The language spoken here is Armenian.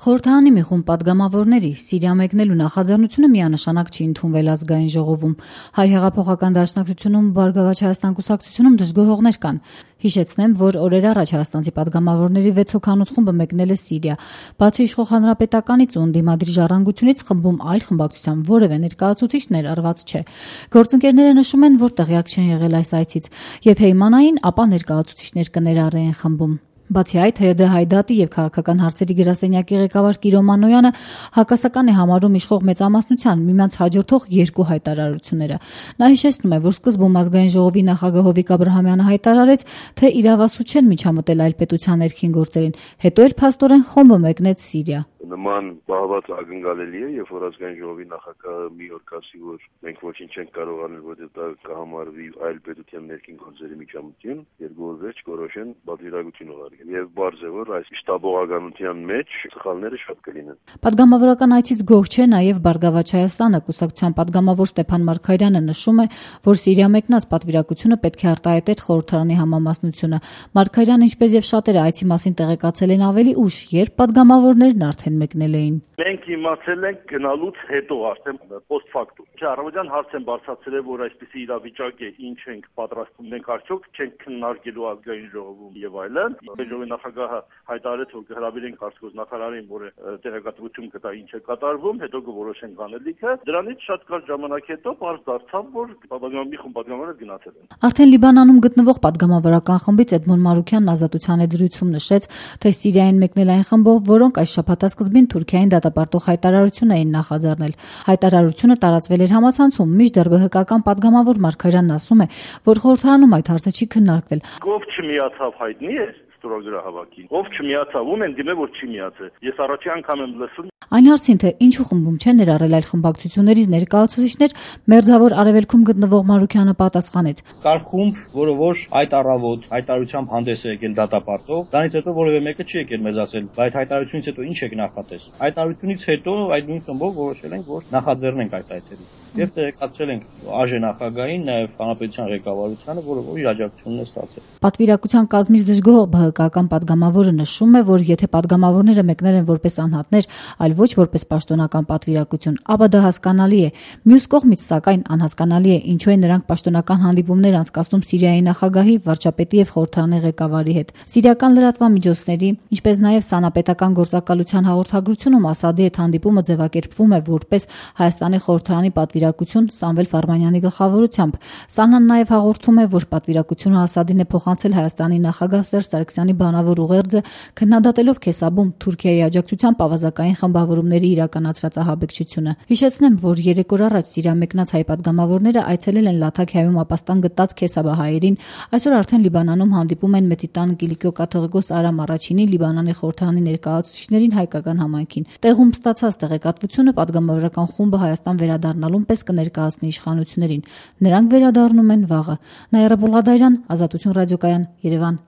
Խորհրդարանի մի խումբ պատգամավորների Սիրիա մեկնելու նախաձեռնությունը միանշանակ չի ընդունվել ազգային ժողովում։ Հայ հեղափոխական դաշնակցությունում Բարգավաճ Հայաստան կուսակցությունում դժգոհողներ կան։ Հիշեցնեմ, որ օրեր առաջ հայաստանցի պատգամավորների 6 հոգանոց խումբը մեկնել է Սիրիա։ Բացի իշխող հանրապետականից ու ընդդիմադիր ժառանգությունից խմբում այլ խմբակցության որևէ ներկայացուցիչ ներառված չէ։ Գործընկերները նշում են, որ տեղյակ չեն եղել այս այցից։ Եթե իմանային, ապա ներկայացուցիչներ կներառեին խմբում։ Բացի այդ, ՀՅԴ Հայդատի եւ քաղաքական հարցերի գրասենյակի ղեկավար Կիրո Մանոյանը հակասական է համարում իշխող մեծամասնության միմյանց հաջորդող երկու հայտարարությունները։ Նա հիշեցնում է, որ սկզբում ազգային ժողովի նախագահ Հովիկ Աբրահամյանը հայտարարեց, թե իրավասու չեն միջամտել այլ պետության ներքին գործերին, հետո էլ փաստորեն խումբը մեկնեց Սիրիա։ Նման բաղված ակնկալելի է, երբ որ ազգային ժողովի նախագահը մի օր ասի, որ մենք ոչինչ չենք կարող անել, որտեղ դա կհամարվի այլ պետության ներքին գործերի միջամտություն, երկու օր վերջ կորոշեն պատվիրակություն ուղարկել։ Եվ բարձ է, որ այս շտաբողականության մեջ սխալները շատ կլինեն։ Պատգամավորական այցից գոհ չէ նաև Բարգավաճ Հայաստանը, կուսակցության պատգամավոր Ստեփան Մարգարյանը նշում է, որ Սիրիա մեկնած պատվիրակությունը պետք է արտահայտեր խորհրդարանի համամասնությունը։ Մարգարյանը, ինչպես եւ շատերը այցի մասին տեղեկացել են ավելի ուշ, երբ պատգամավորներն արդեն մեկնել էին։ Մենք իմացել ենք գնալուց հետո արդեն post factum։ Առավոտյան հարց են բարձրացրել, որ այսպիսի իրավիճակ է, ինչ ենք պատրաստվում, մենք արդյոք չենք քննարկելու ազգային ժողովում եւ այլն։ Ժողովի նախագահը հայտարարեց, որ կհրավիրենք արտգոց նախարարին, որը տեղեկատվություն կտա ինչ է կատարվում, հետո կորոշենք անելիքը։ Դրանից շատ կարճ ժամանակ հետո բարձ դարձավ, որ պատգամավորի խումբ պատգամավորները գնացել են։ Արդեն Լիբանանում գտնվող պատգամավորական խմբից Էդմոն Մարուքյանն Ազատության հետ զրույցում նշեց, թե Սիրիային մեկնել այն խմբով, որոնք այս շաբաթասկզբին Թուրքիային դատապարտող հայտարարություն էին նախաձեռնել։ Հայտարարությունը տարածվել էր համացանցում, մինչդեռ ԲՀԿ-ական պատգամավոր Մարգարյանն ասում է, որ խորհրդարանում այդ հարցը չի քննարկվել։ Ով չմիացավ հայտնի է ստորագրահավաքին։ Ով չմիացավ, ում են դիմել, որ չի միացել։ Ես առաջի անգամ եմ լսում։ Այն հարցին, թե ինչու խմբում չեն ներառել այլ խմբակցություններից ներկայացուցիչներ, Մերձավոր Արևելքում գտնվող Մարուքյանը պատասխանեց. Կար խումբ, որը ոչ այդ առավոտ հայտարարությամբ հանդես է եկել դատապարտող, դրանից հետո որևէ մեկը չի եկել մեզ ասել, բայց հայտարարությունից հետո ինչ եք նախատես։ Հայտարարությունից հետո այդ նույն խմբով որոշել ենք, որ նախաձեռնենք այդ այցերը։ Եվ տեղեկացրել ենք ԱԺ նախագահին, նաև հանրապետության ղեկավարությանը, որը իր աջակցությունն է ստացել։ Պատվիրակության կազմից դժգոհ ԲՀԿ-ական պատգամավորը նշում է, որ եթե պատգամավորները մեկնել են որպես անհատներ, այլ ոչ որպես պաշտոնական պատվիրակություն, ապա դա հասկանալի է։ Մյուս կողմից, սակայն, անհասկանալի է, ինչու են նրանք պաշտոնական հանդիպումներ անցկացնում Սիրիայի նախագահի, վարչապետի եւ խորհրդարանի ղեկավարի հետ։ Սիրիական լրատվամիջոցների, ինչպես նաև Սանապետական գործակալության հաղորդագրությունում Ասադի հետ հանդիպումը ձևակերպվում է որպես Հայաստանի խորհրդարանի պատվիրակություն Սամվել Ֆարմանյանի գլխավորությամբ։ Սանան նաև հաղորդում է, որ պատվիրակությունը Ասադին է փոխանցել Հայաստանի նախագահ Սերժ Սարգսյանի բանավոր ուղերձը, քննադատելով Քեսաբում Թուրքիայի աջակցությամբ ավազակային խմբավորումների իրականացրած ահաբեկչությունը։ Հիշեցնեմ, որ 3 օր առաջ Սիրիա մեկնած հայ պատգամավորները այցելել են Լաթաքիայում ապաստան գտած Քեսաբահայերին, այսօր արդեն Լիբանանում հանդիպում են Մեծի տան Կիլիկիո կաթողիկոս Արամ Առաջինի, Լիբանանի խորհրդարանի ներկայացուցիչներին հայկական համայնքին։ Տեղում ստացած տեղեկատվությունը պատգամավորական խումբը Հայաստան վերադառնալուն պես կներկայացնի իշխանություններին։ Նրանք վերադառնում են վաղը։ Նաիրա Բուլղադարյան, Ազատություն ռադիոկայան, Երևան։